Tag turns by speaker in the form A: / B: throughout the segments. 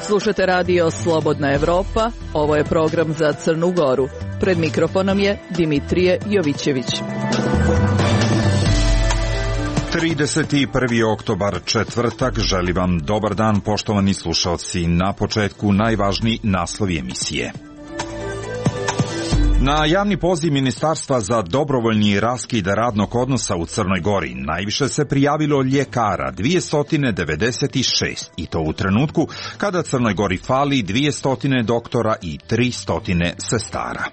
A: Slušate radio Slobodna Evropa, ovo je program za Crnu Goru. Pred mikrofonom je Dimitrije Jovićević.
B: 31. oktobar, četvrtak, želim vam dobar dan, poštovani slušalci. Na početku najvažniji naslovi emisije. Na javni poziv Ministarstva za dobrovoljni raskid radnog odnosa u Crnoj Gori najviše se prijavilo ljekara, 296, i to u trenutku kada Crnoj Gori fali 200 doktora i 300 sestara.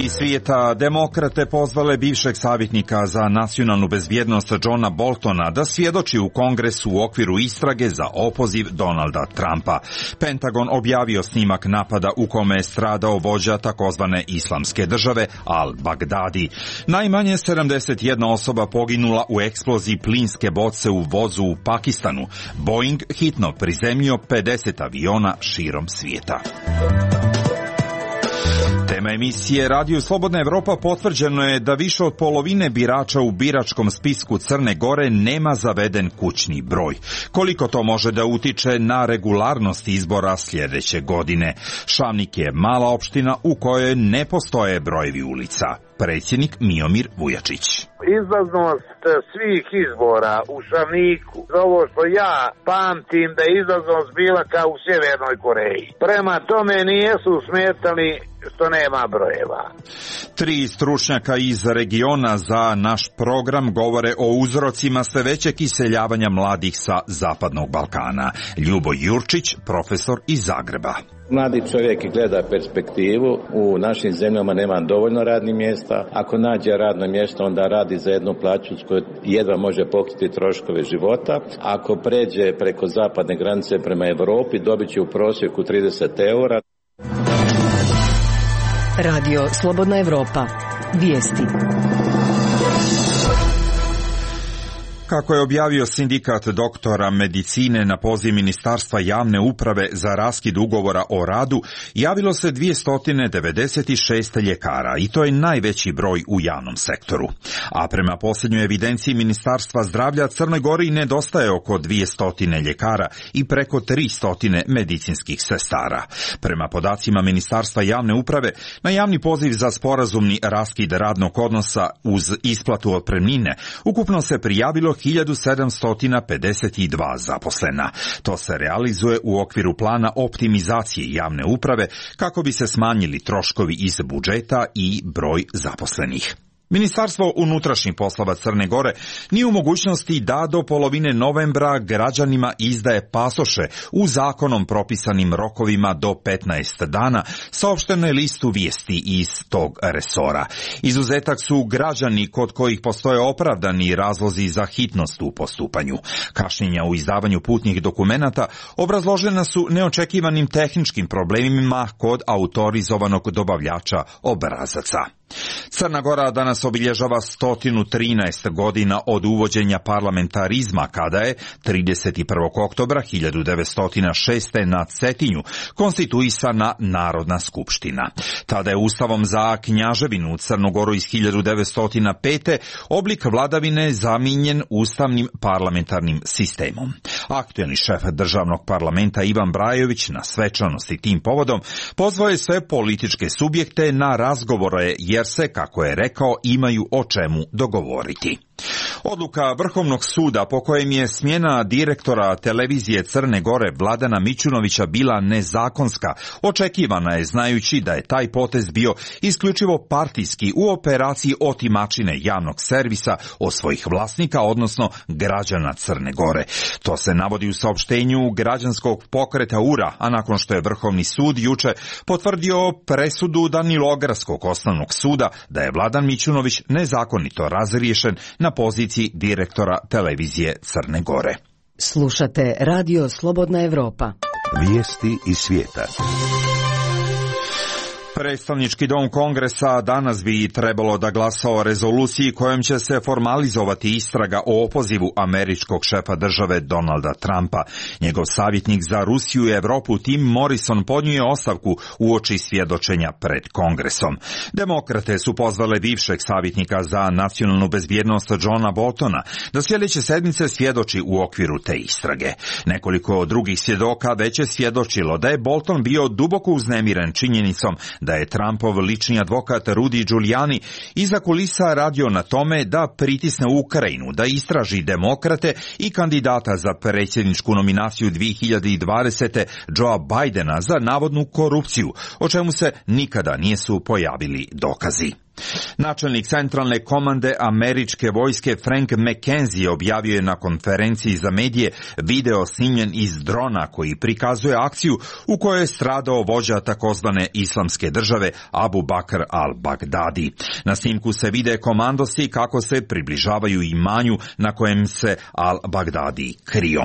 B: Iz svijeta, demokrate pozvale bivšeg savjetnika za nacionalnu bezbjednost Johna Boltona da svjedoči u Kongresu u okviru istrage za opoziv Donalda Trumpa. Pentagon objavio snimak napada u kome je stradao vođa takozvane islamske države Al-Baghdadi. Najmanje 71 osoba poginula u eksploziji plinske boce u vozu u Pakistanu. Boeing hitno prizemljio 50 aviona širom svijeta. Tema emisije Radio Slobodna Evropa potvrđeno je da više od polovine birača u biračkom spisku Crne Gore nema zaveden kućni broj. Koliko to može da utiče na regularnost izbora sljedeće godine? Šavnik je mala opština u kojoj ne postoje brojevi ulica. Predsjednik Miomir Vujačić.
C: Izlaznost svih izbora u Šavniku, za ovo što ja pamtim da je izlaznost bila kao u Sjevernoj Koreji. Prema tome nijesu smetali što nema brojeva.
B: 3 stručnjaka iz regiona za naš program govore o uzrocima sve većeg iseljavanja mladih sa Zapadnog Balkana. Ljubo Jurčić, profesor iz Zagreba.
D: Mladi čovjek gleda perspektivu, u našim zemljama nema dovoljno radnih mjesta, ako nađe radno mjesto onda radi za jednu plaću s kojoj jedva može pokriti troškove života, ako pređe preko zapadne granice prema Europi dobit će u prosjeku 30 eura.
E: Radio Slobodna Evropa. Vijesti.
B: Kako je objavio sindikat doktora medicine na poziv Ministarstva javne uprave za raskid ugovora o radu, javilo se 296 ljekara i to je najveći broj u javnom sektoru. A prema posljednjoj evidenciji Ministarstva zdravlja Crnoj Gori nedostaje oko 200 ljekara i preko 300 medicinskih sestara. Prema podacima Ministarstva javne uprave, na javni poziv za sporazumni raskid radnog odnosa uz isplatu otpremnine ukupno se prijavilo 1752 zaposlena. To se realizuje u okviru plana optimizacije javne uprave kako bi se smanjili troškovi iz budžeta i broj zaposlenih. Ministarstvo unutrašnjih poslova Crne Gore nije u mogućnosti da do polovine novembra građanima izdaje pasoše u zakonom propisanim rokovima do 15 dana, saopšteno je listu vijesti iz tog resora. Izuzetak su građani kod kojih postoje opravdani razlozi za hitnost u postupanju. Kašnjenja u izdavanju putnih dokumenata obrazložena su neočekivanim tehničkim problemima kod autorizovanog dobavljača obrazaca. Crna Gora danas obilježava 113 godina od uvođenja parlamentarizma, kada je 31. oktobra 1906. na Cetinju konstituisana Narodna skupština. Tada je Ustavom za knjaževinu Crnu Goru iz 1905. oblik vladavine zamijenjen ustavnim parlamentarnim sistemom. Aktuelni šef državnog parlamenta Ivan Brajović na svečanosti tim povodom pozvao je sve političke subjekte na razgovore jer se, kako je rekao, imaju o čemu dogovoriti. Odluka Vrhovnog suda po kojem je smjena direktora televizije Crne Gore Vladana Mićunovića bila nezakonska očekivana je, znajući da je taj potez bio isključivo partijski u operaciji otimačine javnog servisa od svojih vlasnika, odnosno građana Crne Gore. To se navodi u saopštenju građanskog pokreta URA, a nakon što je Vrhovni sud juče potvrdio presudu Danilogradskog osnovnog suda da je Vladan Mićunović nezakonito razriješen na poziciji direktora televizije Crne Gore.
E: Slušate Radio Slobodna Evropa.
F: Vijesti iz svijeta.
B: Predstavnički dom Kongresa danas bi trebalo da glasa o rezoluciji kojom će se formalizovati istraga o opozivu američkog šefa države Donalda Trumpa. Njegov savjetnik za Rusiju i Evropu Tim Morrison podnio je ostavku uoči svjedočenja pred Kongresom. Demokrate su pozvale bivšeg savjetnika za nacionalnu bezbjednost Johna Boltona da sljedeće sedmice svjedoči u okviru te istrage. Nekoliko drugih svjedoka već je svjedočilo da je Bolton bio duboko uznemiren činjenicom da je Trumpov lični advokat Rudy Giuliani iza kulisa radio na tome da pritisne Ukrajinu, da istraži demokrate i kandidata za predsjedničku nominaciju 2020. Joea Bidena za navodnu korupciju, o čemu se nikada nisu pojavili dokazi. Načelnik centralne komande američke vojske Frank McKenzie objavio je na konferenciji za medije video snimljen iz drona koji prikazuje akciju u kojoj je stradao vođa takozvane islamske države Abu Bakr al-Baghdadi. Na snimku se vide komandosi kako se približavaju imanju na kojem se al-Baghdadi krio.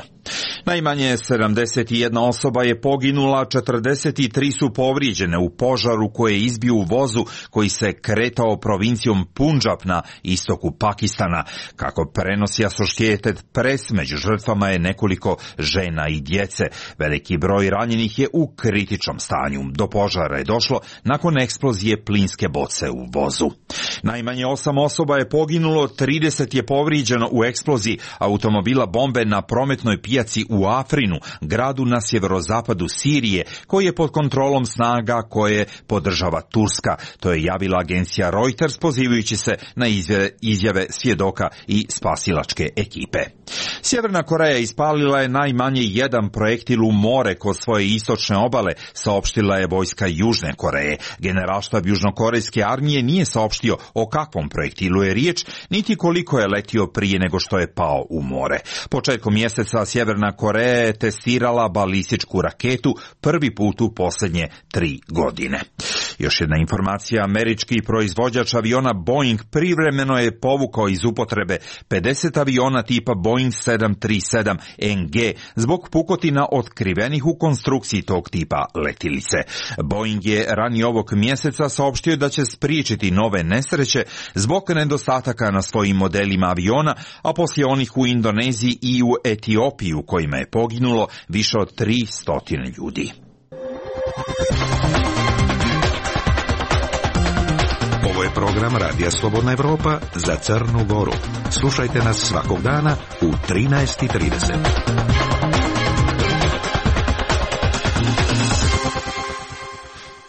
B: Najmanje 71 osoba je poginula, 43 su povrijeđene u požaru koje je izbio u vozu koji se kretao provincijom Punjab na istoku Pakistana. Kako prenosi Associated Press, među žrtvama je nekoliko žena i djece. Veliki broj ranjenih je u kritičnom stanju. Do požara je došlo nakon eksplozije plinske boce u vozu. Najmanje 8 osoba je poginulo, 30 je povrijeđeno u eksploziji automobila bombe na prometnoj pijaci u Afrinu, gradu na sjeverozapadu Sirije, koji je pod kontrolom snaga koje podržava Turska. To je javila agencija Reuters pozivajući se na izjave svjedoka i spasilačke ekipe. Sjeverna Koreja ispalila je najmanje jedan projektil u more kod svoje istočne obale, saopštila je vojska Južne Koreje. Generalštab južnokorejske armije nije saopštio o kakvom projektilu je riječ, niti koliko je letio prije nego što je pao u more. Početkom mjeseca Sjeverna Koreja je testirala balističku raketu prvi put u posljednje 3 godine. Još jedna informacija, američki proizvođač aviona Boeing privremeno je povukao iz upotrebe 50 aviona tipa Boeing 737 NG zbog pukotina otkrivenih u konstrukciji tog tipa letilice. Boeing je ranije ovog mjeseca saopštio da će spriječiti nove nesreće zbog nedostataka na svojim modelima aviona, a poslije onih u Indoneziji i u Etiopiji u kojima je poginulo više od 300 ljudi.
F: Ovo je program Radija Slobodna Evropa za Crnu Goru. Slušajte nas svakog dana u 13:30.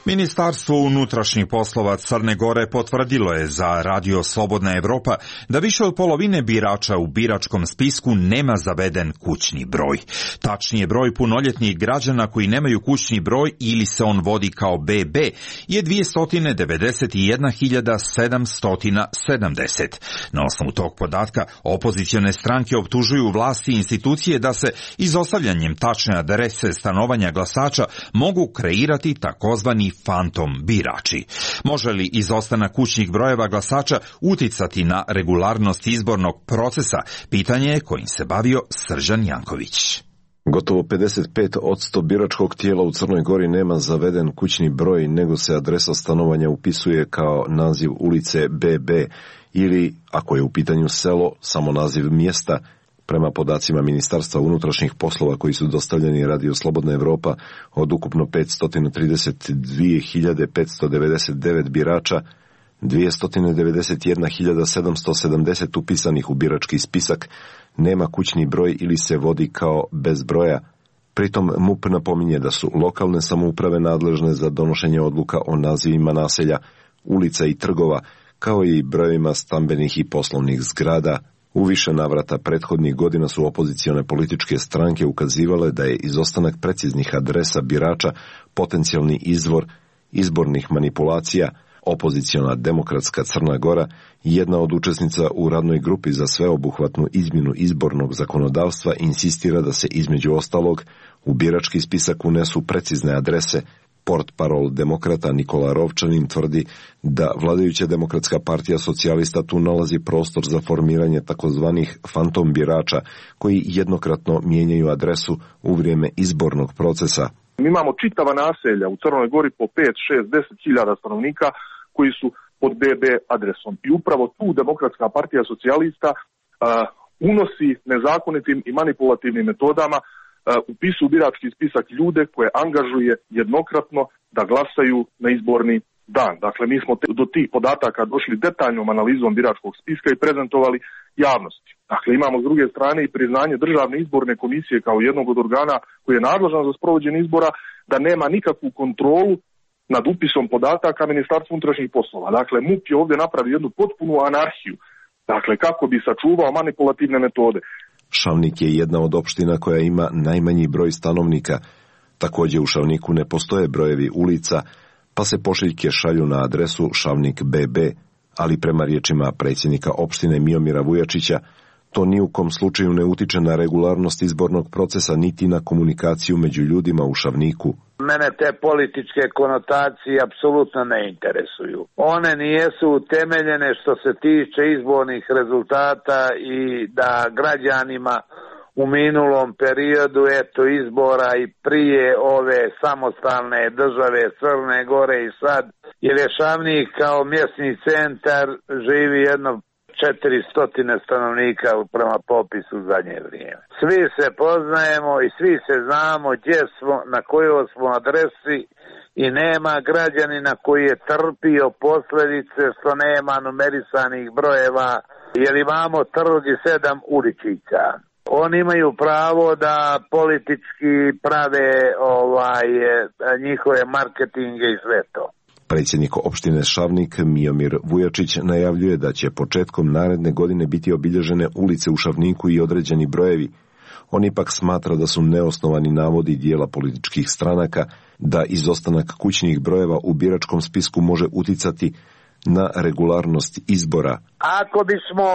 B: Ministarstvo unutrašnjih poslova Crne Gore potvrdilo je za Radio Slobodna Evropa da više od polovine birača u biračkom spisku nema zaveden kućni broj. Tačnije, broj punoljetnih građana koji nemaju kućni broj ili se on vodi kao BB je 291.770. Na osnovu tog podatka opozicione stranke optužuju vlasti i institucije da se izostavljanjem tačne adrese stanovanja glasača mogu kreirati takozvani fantom birači. Može li izostanak kućnih brojeva glasača uticati na regularnost izbornog procesa? Pitanje je kojim se bavio Srđan Janković.
G: Gotovo 55% biračkog tijela u Crnoj Gori nema zaveden kućni broj, nego se adresa stanovanja upisuje kao naziv ulice BB ili, ako je u pitanju selo, samo naziv mjesta. Prema podacima Ministarstva unutrašnjih poslova koji su dostavljeni Radio Slobodna Evropa, od ukupno 532.599 birača, 291.770 upisanih u birački spisak nema kućni broj ili se vodi kao bez broja. Pritom MUP napominje da su lokalne samouprave nadležne za donošenje odluka o nazivima naselja, ulica i trgova, kao i brojevima stambenih i poslovnih zgrada. U više navrata prethodnih godina su opozicione političke stranke ukazivale da je izostanak preciznih adresa birača potencijalni izvor izbornih manipulacija. Opoziciona Demokratska Crna Gora, jedna od učesnica u radnoj grupi za sveobuhvatnu izmjenu izbornog zakonodavstva, insistira da se između ostalog u birački spisak unesu precizne adrese. Portparol demokrata Nikola Rovčanin tvrdi da vladajuća Demokratska partija socijalista tu nalazi prostor za formiranje takozvanih fantom birača koji jednokratno mijenjaju adresu u vrijeme izbornog procesa.
H: Mi imamo čitava naselja u Crnoj Gori po 5, 6, 10 hiljada stanovnika koji su pod BB adresom. I upravo tu Demokratska partija socijalista unosi nezakonitim i manipulativnim metodama upisu u birački spisak ljude koje angažuje jednokratno da glasaju na izborni dan. Dakle, mi smo do tih podataka došli detaljnom analizom biračkog spiska i prezentovali javnosti. Dakle, imamo s druge strane i priznanje Državne izborne komisije kao jednog od organa koji je nadležan za sprovođenje izbora da nema nikakvu kontrolu nad upisom podataka Ministarstva unutrašnjih poslova. Dakle, MUP je ovdje napravio jednu potpunu anarhiju. Dakle, kako bi sačuvao manipulativne metode.
G: Šavnik je jedna od opština koja ima najmanji broj stanovnika. Također u Šavniku ne postoje brojevi ulica, pa se pošiljke šalju na adresu Šavnik BB, ali prema riječima predsjednika opštine Miomira Vujačića, to ni u kom slučaju ne utiče na regularnost izbornog procesa niti na komunikaciju među ljudima u Šavniku.
C: Mene te političke konotacije apsolutno ne interesuju. One nijesu utemeljene što se tiče izbornih rezultata i da građanima u minulom periodu izbora i prije ove samostalne države Crne Gore i sad, jer je Šavnik kao mjesni centar živi jedno 400 stanovnika prema popisu u zadnje vrijeme. Svi se poznajemo i svi se znamo gdje smo, na kojoj smo adresi i nema građanina koji je trpio posljedice što nema numerisanih brojeva, jer imamo trg i 7 uličića. Oni imaju pravo da politički prave njihove marketinge i sve to.
G: Predsjednik opštine Šavnik Miomir Vujačić najavljuje da će početkom naredne godine biti obilježene ulice u Šavniku i određeni brojevi. On ipak smatra da su neosnovani navodi dijela političkih stranaka da izostanak kućnih brojeva u biračkom spisku može uticati na regularnost izbora.
C: Ako bismo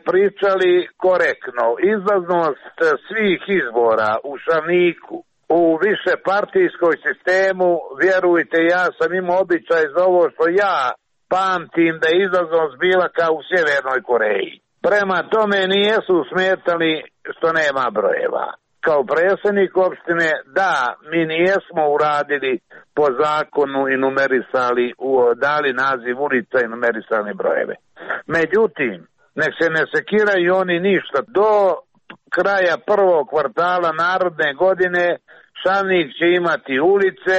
C: pričali korektno, izlaznost svih izbora u Šavniku u višepartijskoj sistemu, vjerujte, ja sam imao običaj za ovo što ja pamtim da je izlaznost bila kao u Sjevernoj Koreji. Prema tome nijesu smetali što nema brojeva. Kao predsjednik opštine, da, mi nijesmo uradili po zakonu i numerisali, dali naziv ulica i numerisali brojeve. Međutim, nek se ne sekiraju oni ništa. Do kraja prvog kvartala naredne godine Šavnik će imati ulice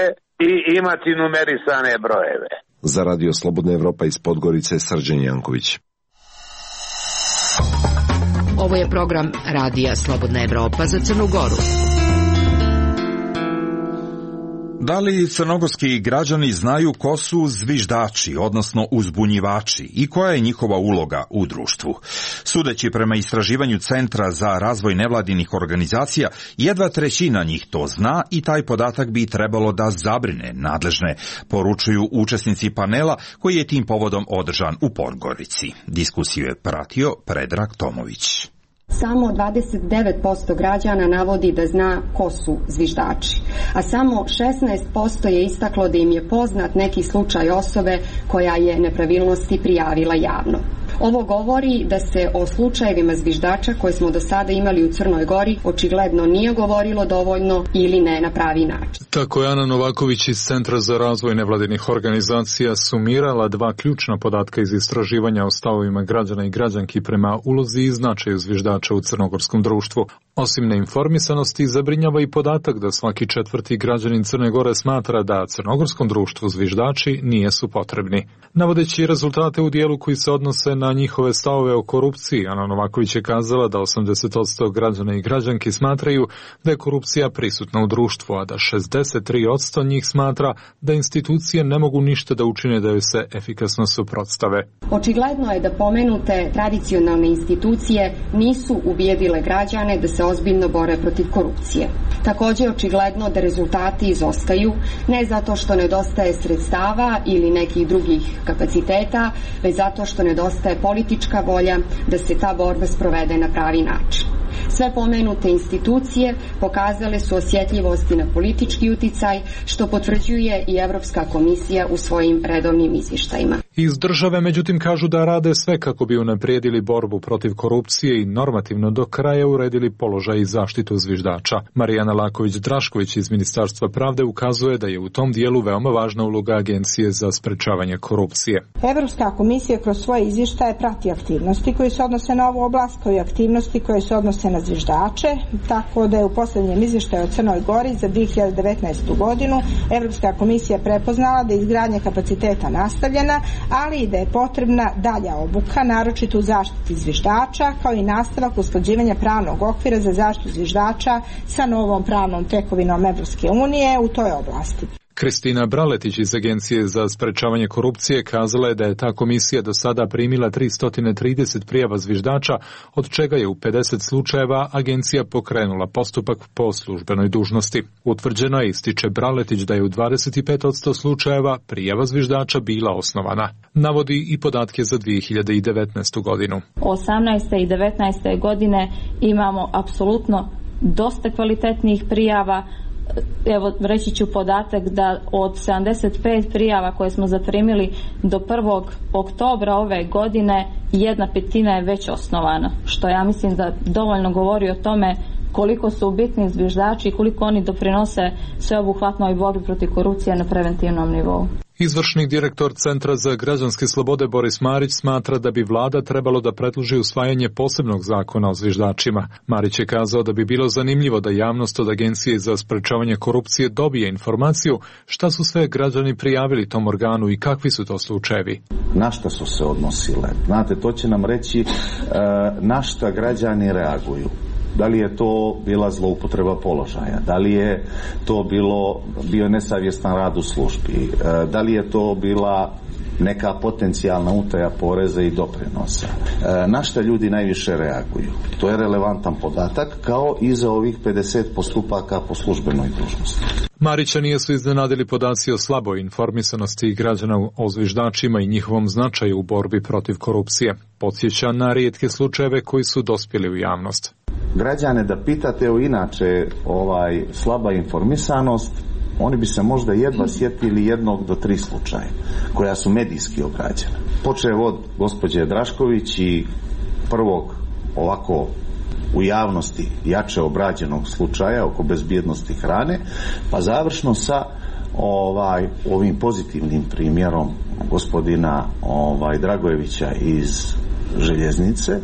C: i imati numerisane brojeve.
G: Za Radio Slobodna Evropa iz Podgorice, Srđan Janković.
E: Ovo je program Radija Slobodna Evropa za Crnu Goru.
B: Da li crnogorski građani znaju ko su zviždači, odnosno uzbunjivači, i koja je njihova uloga u društvu? Sudeći prema istraživanju Centra za razvoj nevladinih organizacija, jedva trećina njih to zna i taj podatak bi trebalo da zabrine nadležne, poručuju učesnici panela koji je tim povodom održan u Podgorici. Diskusiju je pratio Predrag Tomović.
I: Samo 29% građana navodi da zna ko su zviždači, a samo 16% je istaklo da im je poznat neki slučaj osobe koja je nepravilnosti prijavila javno. Ovo govori da se o slučajevima zviždača koje smo do sada imali u Crnoj Gori očigledno nije govorilo dovoljno ili ne na pravi način.
J: Tako je Ana Novaković iz Centra za razvoj nevladinih organizacija sumirala dva ključna podatka iz istraživanja o stavovima građana i građanki prema ulozi i značaju zviždača u crnogorskom društvu. Osim neinformisanosti, zabrinjava i podatak da svaki četvrti građanin Crne Gore smatra da crnogorskom društvu zviždači nijesu potrebni. Navodeći rezultate u dijelu koji se odnose na njihove stavove o korupciji, Ana Novaković je kazala da 80% građana i građanki smatraju da je korupcija prisutna u društvu, a da 63% njih smatra da institucije ne mogu ništa da učine da joj se efikasno suprotstave.
I: Očigledno je da pomenute tradicionalne institucije nisu ubijedile građane da se ozbiljno bore protiv korupcije. Također očigledno da rezultati izostaju, ne zato što nedostaje sredstava ili nekih drugih kapaciteta, već zato što nedostaje politička volja da se ta borba sprovede na pravi način. Sve pomenute institucije pokazale su osjetljivosti na politički uticaj, što potvrđuje i Evropska komisija u svojim redovnim izvještajima.
J: Iz države, međutim, kažu da rade sve kako bi unaprijedili borbu protiv korupcije i normativno do kraja uredili položaj i zaštitu zviždača. Marijana Laković-Drašković iz Ministarstva pravde ukazuje da je u tom dijelu veoma važna uloga Agencije za sprečavanje korupcije.
K: Evropska komisija kroz svoje izvještaje prati aktivnosti koje se odnose na ovu oblast, kao i aktivnosti koje se odnose na zviždače, tako da je u posljednjem izvještaju o Crnoj Gori za 2019. godinu Evropska komisija prepoznala da je izgradnja kapaciteta nastavljena, ali i da je potrebna dalja obuka, naročito u zaštiti zviždača, kao i nastavak usklađivanja pravnog okvira za zaštitu zviždača sa novom pravnom tekovinom Evropske unije u toj oblasti.
J: Kristina Braletić iz Agencije za sprečavanje korupcije kazala je da je ta komisija do sada primila 330 prijava zviždača, od čega je u 50 slučajeva agencija pokrenula postupak po službenoj dužnosti. Utvrđeno je, ističe Braletić, da je u 25% slučajeva prijava zviždača bila osnovana. Navodi i podatke za 2019. godinu.
L: 18. i 19. godine imamo apsolutno dosta kvalitetnih prijava. Evo, reći ću podatak da od 75 prijava koje smo zaprimili do 1. oktobra ove godine, 1/5 je već osnovana, što ja mislim da dovoljno govori o tome koliko su bitni zviždači i koliko oni doprinose sveobuhvatnoj borbi protiv korupcije na preventivnom nivou.
J: Izvršni direktor Centra za građanske slobode Boris Marić smatra da bi vlada trebalo da predloži usvajanje posebnog zakona o zviždačima. Marić je kazao da bi bilo zanimljivo da javnost od Agencije za sprečavanje korupcije dobije informaciju šta su sve građani prijavili tom organu i kakvi su to slučajevi.
M: Na šta su se odnosile? Znate, to će nam reći na šta građani reaguju. Da li je to bila zloupotreba položaja, da li je to bio nesavjestan rad u službi, da li je to bila neka potencijalna utaja poreza i doprinosa. Na šta ljudi najviše reaguju? To je relevantan podatak, kao i za ovih 50 postupaka po službenoj dužnosti.
J: Marića nisu iznenadili podaci o slaboj informisanosti građana o zviždačima i njihovom značaju u borbi protiv korupcije. Podsjeća na rijetke slučajeve koji su dospjeli u javnost.
M: Građane da pitate o inače slaba informisanost, oni bi se možda jedva sjetili 1 do 3 slučaja koja su medijski obrađena. Počev od gospođe Drašković i prvog ovako u javnosti jače obrađenog slučaja oko bezbjednosti hrane, pa završno sa ovim pozitivnim primjerom gospodina Dragojevića iz Željeznice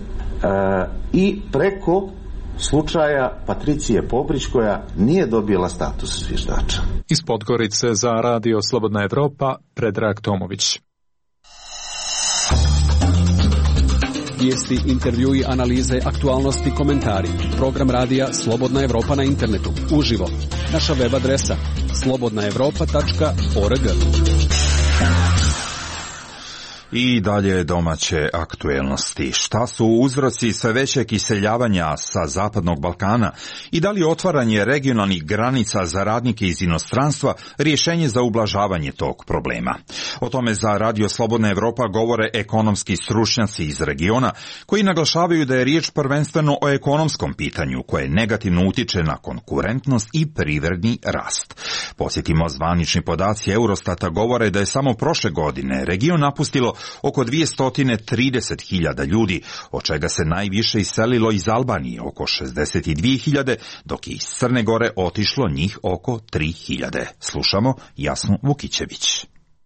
M: i preko slučaja Patricije Pobrić koja nije dobila status zviždača.
J: Iz Podgorice za Radio Slobodna Evropa, Predrag Tomović.
N: Vijesti, intervjui, analize, aktualnosti, komentari. Program radija Slobodna Evropa na internetu. Uživo. Naša web adresa slobodnaevropa.org.
B: I dalje domaće aktuelnosti. Šta su uzroci sve većeg iseljavanja sa Zapadnog Balkana i da li otvaranje regionalnih granica za radnike iz inostranstva rješenje za ublažavanje tog problema? O tome za Radio Slobodna Evropa govore ekonomski stručnjaci iz regiona koji naglašavaju da je riječ prvenstveno o ekonomskom pitanju koje negativno utiče na konkurentnost i privredni rast. Posjetimo, zvanični podaci Eurostata govore da je samo prošle godine region napustilo oko 230.000 ljudi, od čega se najviše iselilo iz Albanije, oko 62.000, dok je iz Crne Gore otišlo njih oko 3.000. Slušamo Jasnu Vukićević.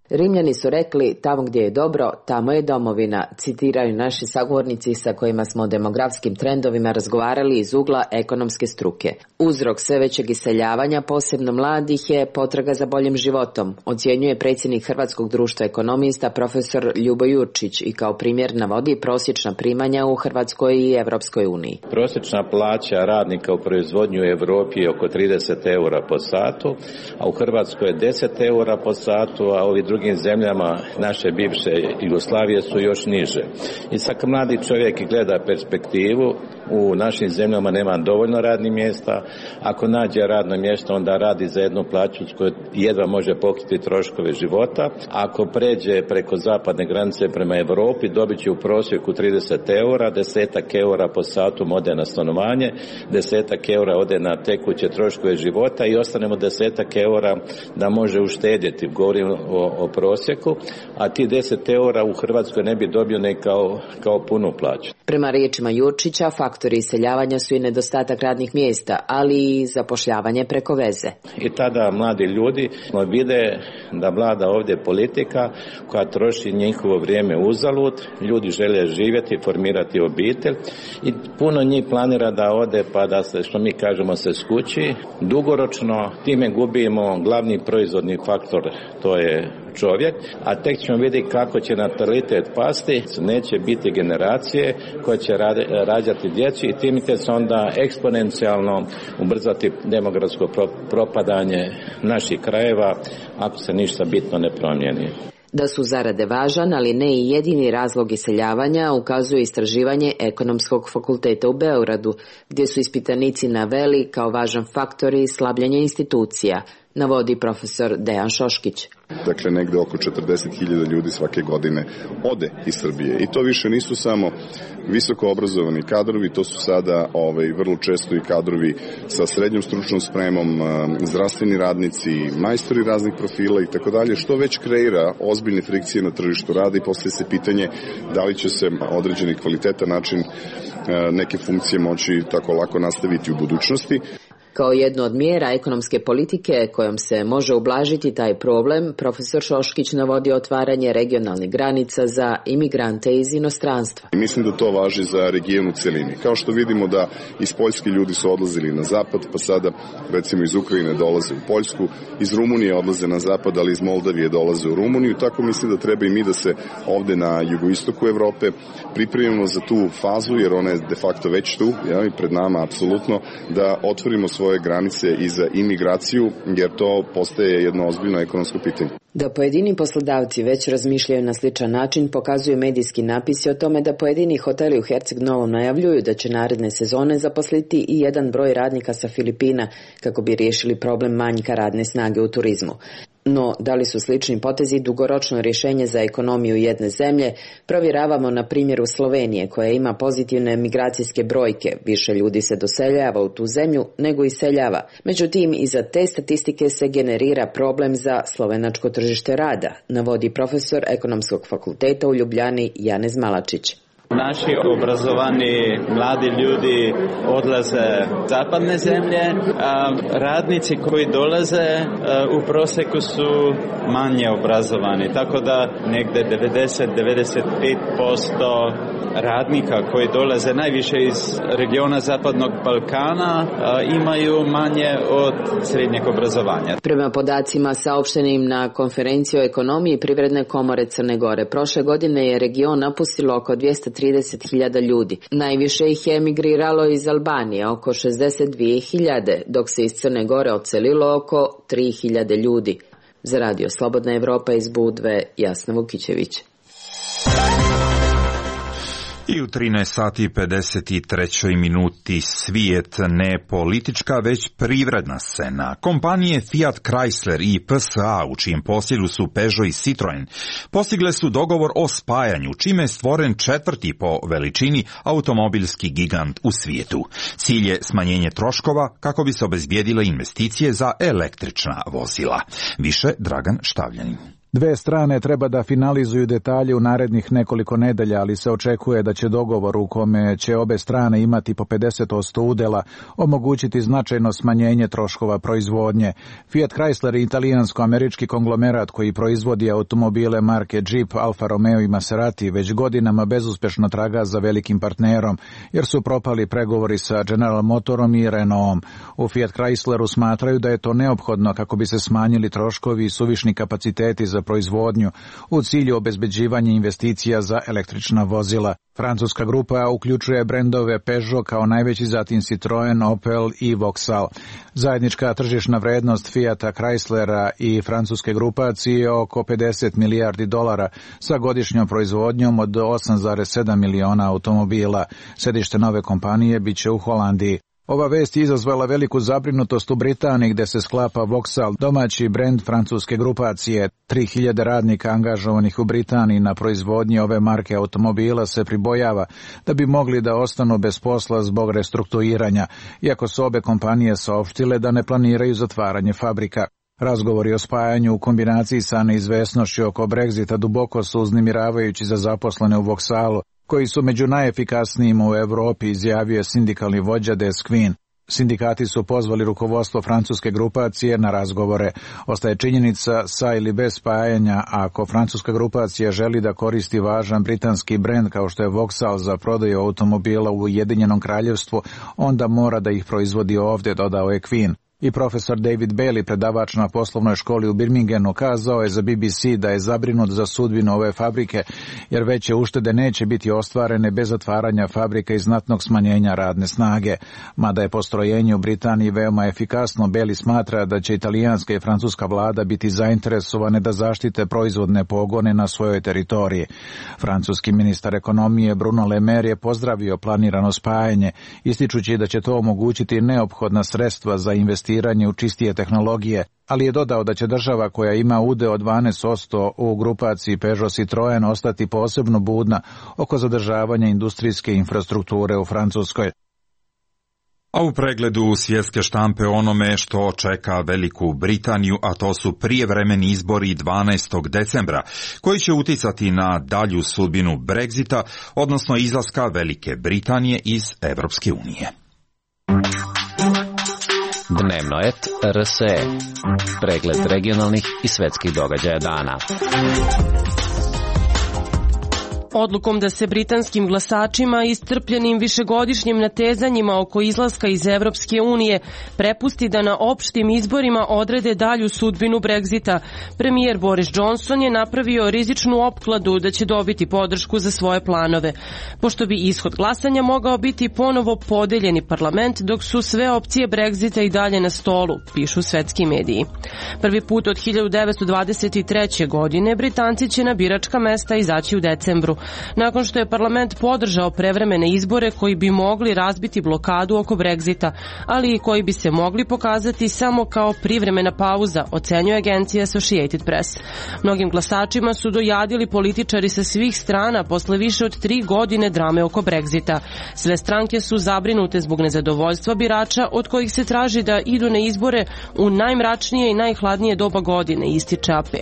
O: Rimljani su rekli, tamo gdje je dobro, tamo je domovina, citiraju naši sagovornici sa kojima smo o demografskim trendovima razgovarali iz ugla ekonomske struke. Uzrok sve većeg iseljavanja, posebno mladih, je potraga za boljim životom, ocjenjuje predsjednik Hrvatskog društva ekonomista profesor Ljubo Jurčić i kao primjer navodi prosječna primanja u Hrvatskoj i Evropskoj uniji.
D: Prosječna plaća radnika u proizvodnju u Europi je oko 30 eura po satu, a u Hrvatskoj je 10 eura po satu, a ovi drugim zemljama naše bivše Jugoslavije su još niže. I sad mladi čovjek gleda perspektivu, u našim zemljama nema dovoljno radnih mjesta, ako nađe radno mjesto onda radi za jednu plaću s kojoj jedva može pokriti troškove života. Ako pređe preko zapadne granice prema Europi dobit će u prosjeku 30 eura, 10 eura po satu ode na stanovanje, 10 eura ode na tekuće troškove života i ostanemo 10 eura da može uštedjeti. Govorim o o prosjeku, a ti 10 eura u Hrvatskoj ne bi dobio ne kao punu plaću.
O: Prema riječima Jurčića, faktori iseljavanja su i nedostatak radnih mjesta, ali i zapošljavanje preko veze.
D: I tada mladi ljudi vide da vlada ovdje politika koja troši njihovo vrijeme uzalud, ljudi žele živjeti, formirati obitelj i puno njih planira da ode pa da se, što mi kažemo, se skući. Dugoročno time gubimo glavni proizvodni faktor, to je čovjek, a tek ćemo vidjeti kako će natalitet pasti, neće biti generacije koje će rađati djecu i time će se onda eksponencijalno ubrzati demografsko propadanje naših krajeva ako se ništa bitno ne promijeni.
O: Da su zarade važan, ali ne i jedini razlog iseljavanja, ukazuje istraživanje Ekonomskog fakulteta u Beogradu, gdje su ispitanici naveli kao važan faktor i slabljenje institucija, navodi profesor Dejan Šoškić.
P: Dakle, negde oko 40.000 ljudi svake godine ode iz Srbije. I to više nisu samo visoko obrazovani kadrovi, to su sada vrlo često i kadrovi sa srednjom stručnom spremom, zdravstveni radnici, majstori raznih profila i tako dalje, što već kreira ozbiljne frikcije na tržištu rada i postavlja se pitanje da li će se određeni kvalitetan način neke funkcije moći tako lako nastaviti u budućnosti.
O: Kao jednu od mjera ekonomske politike kojom se može ublažiti taj problem, profesor Šoškić navodi otvaranje regionalnih granica za imigrante iz inostranstva.
P: Mislim da to važi za region u celini. Kao što vidimo da iz Poljske ljudi su odlazili na zapad, pa sada recimo iz Ukrajine dolaze u Poljsku, iz Rumunije odlaze na zapad, ali iz Moldavije dolaze u Rumuniju. Tako mislim da treba i mi da se ovde na jugoistoku Evrope pripremimo za tu fazu, jer ona je de facto već tu, pred nama apsolutno, da otvorimo svoje granice i za imigraciju, jer to postaje jedno ozbiljno ekonomsko pitanje.
O: Da pojedini poslodavci već razmišljaju na sličan način pokazuju medijski napisi o tome da pojedini hoteli u Herceg Novom najavljuju da će naredne sezone zaposliti i jedan broj radnika sa Filipina kako bi riješili problem manjka radne snage u turizmu. No, da li su slični potezi dugoročno rješenje za ekonomiju jedne zemlje, provjeravamo na primjeru Slovenije, koja ima pozitivne migracijske brojke. Više ljudi se doseljava u tu zemlju nego iseljava. Međutim, iza te statistike se generira problem za slovenačko tržište rada, navodi profesor Ekonomskog fakulteta u Ljubljani Janez Malačić.
Q: Naši obrazovani mladi ljudi odlaze u zapadne zemlje, a radnici koji dolaze u prosjeku su manje obrazovani, tako da negde 90-95% radnika koji dolaze najviše iz regiona Zapadnog Balkana imaju manje od srednjeg obrazovanja.
O: Prema podacima saopštenim na konferenciji o ekonomiji Privredne komore Crne Gore, prošle godine je region napustilo oko 230.000 ljudi. Najviše ih je emigriralo iz Albanije, oko 62.000, dok se iz Crne Gore odselilo oko 3.000 ljudi. Za Radio Slobodna Evropa iz Budve, Jasna Vukićević.
B: I u 13:53 minuti svijet, ne politička, već privredna scena. Kompanije Fiat Chrysler i PSA, u čijem posjedu su Peugeot i Citroen, postigle su dogovor o spajanju, čime je stvoren četvrti po veličini automobilski gigant u svijetu. Cilj je smanjenje troškova kako bi se obezbijedile investicije za električna vozila. Više Dragan Štavljanin.
R: Dve strane treba da finalizuju detalje u narednih nekoliko nedelja, ali se očekuje da će dogovor u kome će obe strane imati po 50% udela omogućiti značajno smanjenje troškova proizvodnje. Fiat Chrysler je italijansko-američki konglomerat koji proizvodi automobile marke Jeep, Alfa Romeo i Maserati već godinama bezuspešno traga za velikim partnerom, jer su propali pregovori sa General Motorom i Renaultom. U Fiat Chrysleru smatraju da je to neophodno kako bi se smanjili troškovi i suvišni kapaciteti za proizvodnju u cilju obezbeđivanja investicija za električna vozila. Francuska grupa uključuje brendove Peugeot kao najveći, zatim Citroen, Opel i Vauxhall. Zajednička tržišna vrednost Fiata Chryslera i francuske grupacije je oko 50 milijardi dolara sa godišnjom proizvodnjom od 8,7 miliona automobila. Sedište nove kompanije biće u Holandiji. Ova vest je izazvala veliku zabrinutost u Britaniji, gde se sklapa Vauxhall, domaći brend francuske grupacije. 3.000 radnika angažovanih u Britaniji na proizvodnji ove marke automobila se pribojava da bi mogli da ostanu bez posla zbog restrukturiranja, iako su obe kompanije saopštile da ne planiraju zatvaranje fabrika. Razgovori o spajanju u kombinaciji sa neizvesnošću oko Brexita duboko su uznemiravajući za zaposlene u Vauxhallu, koji su među najefikasnijim u Europi, izjavio sindikalni vođa Des Quinn. Sindikati su pozvali rukovodstvo francuske grupacije na razgovore. Ostaje činjenica sa ili bez spajanja, ako francuska grupacija želi da koristi važan britanski brend kao što je Vauxhall za prodaju automobila u Ujedinjenom Kraljevstvu, onda mora da ih proizvodi ovdje, dodao je Quinn. I profesor David Bailey, predavač na poslovnoj školi u Birminghamu, kazao je za BBC da je zabrinut za sudbinu ove fabrike, jer veće uštede neće biti ostvarene bez otvaranja fabrika i znatnog smanjenja radne snage. Mada je postrojenje u Britaniji veoma efikasno, Bailey smatra da će italijanska i francuska vlada biti zainteresovane da zaštite proizvodne pogone na svojoj teritoriji. Francuski ministar ekonomije Bruno Le Maire je pozdravio planirano spajanje, ističući da će to omogućiti neophodna sredstva za investiranje u čistije tehnologije, ali je dodao da će država koja ima udeo od 12% u grupaciji Peugeot Citroen ostati posebno budna oko zadržavanja industrijske infrastrukture u Francuskoj.
B: A u pregledu svjetske štampe onome što čeka Veliku Britaniju, a to su prijevremeni izbori 12. decembra, koji će uticati na dalju sudbinu Brexita, odnosno izlaska Velike Britanije iz Evropske unije.
S: Dnevno et RSE. Pregled regionalnih i svetskih događaja dana.
T: Odlukom da se britanskim glasačima iscrpljenim višegodišnjim natezanjima oko izlaska iz Evropske unije prepusti da na opštim izborima odrede dalju sudbinu Brexita, premijer Boris Johnson je napravio rizičnu opkladu da će dobiti podršku za svoje planove, pošto bi ishod glasanja mogao biti ponovo podeljeni parlament dok su sve opcije Brexita i dalje na stolu, pišu svetski mediji. Prvi put od 1923. godine Britanci će na biračka mesta izaći u decembru, nakon što je parlament podržao prevremene izbore koji bi mogli razbiti blokadu oko Brexita, ali i koji bi se mogli pokazati samo kao privremena pauza, ocenjuje agencija Associated Press. Mnogim glasačima su dojadili političari sa svih strana posle više od 3 godine drame oko Brexita. Sve stranke su zabrinute zbog nezadovoljstva birača od kojih se traži da idu na izbore u najmračnije i najhladnije doba godine, ističe AP.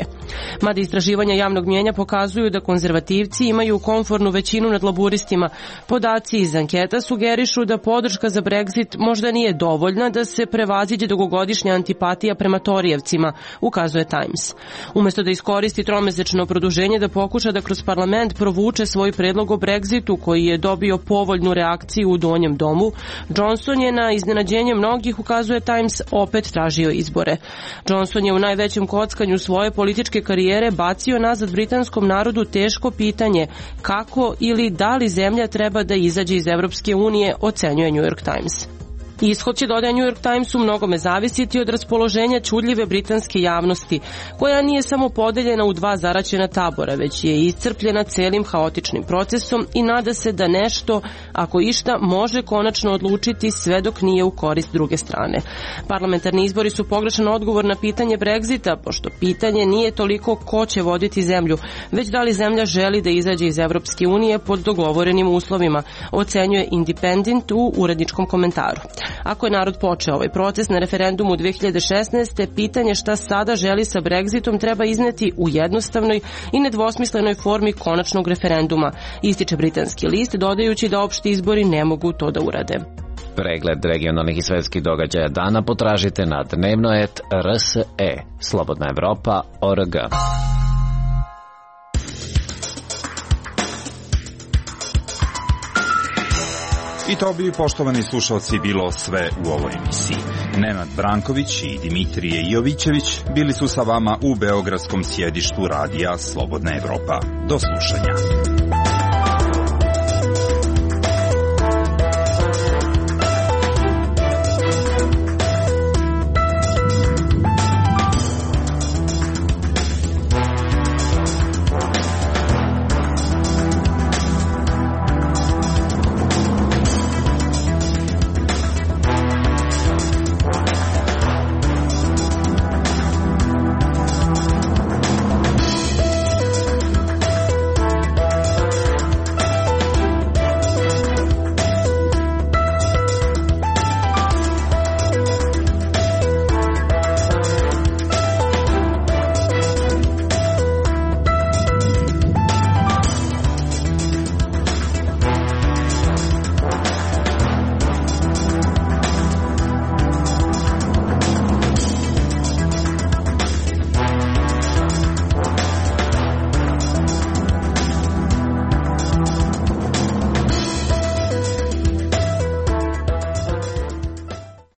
T: Mada istraživanja javnog mnijenja pokazuju da konzervativci imaju komfornu većinu nad laburistima, podaci iz anketa sugerišu da podrška za Brexit možda nije dovoljna da se prevaziđe dugogodišnja antipatija prema Torijevcima, ukazuje Times. Umjesto da iskoristi tromesečno produženje da pokuša da kroz parlament provuče svoj predlog o Brexitu koji je dobio povoljnu reakciju u donjem domu, Johnson je na iznenađenje mnogih, ukazuje Times, opet tražio izbore. Johnson je u najvećem kockanju svoje političke karijere bacio nazad britanskom narodu teško pitanje kako ili da li zemlja treba da izađe iz Evropske unije, ocenjuje New York Times. Ishod će, dodaje New York Times, u mnogome zavisiti od raspoloženja čudljive britanske javnosti, koja nije samo podeljena u dva zaraćena tabora, već je iscrpljena celim haotičnim procesom i nada se da nešto, ako išta, može konačno odlučiti sve dok nije u korist druge strane. Parlamentarni izbori su pogrešan odgovor na pitanje Brexita, pošto pitanje nije toliko ko će voditi zemlju, već da li zemlja želi da izađe iz Evropske unije pod dogovorenim uslovima, ocenjuje Independent u uredničkom komentaru. Ako je narod počeo ovaj proces na referendumu 2016. pitanje šta sada želi sa Brexitom treba izneti u jednostavnoj i nedvosmislenoj formi konačnog referenduma, ističe britanski list, dodajući da opšti izbori ne mogu to da urade.
S: Pregled regionalnih i svetskih događaja dana potražite na dnevno.rs.e. Slobodna Evropa.org.
B: I to bi, poštovani slušalci, bilo sve u ovoj emisiji. Nenad Branković i Dimitrije Jovićević bili su sa vama u beogradskom sjedištu radija Slobodna Evropa. Do slušanja.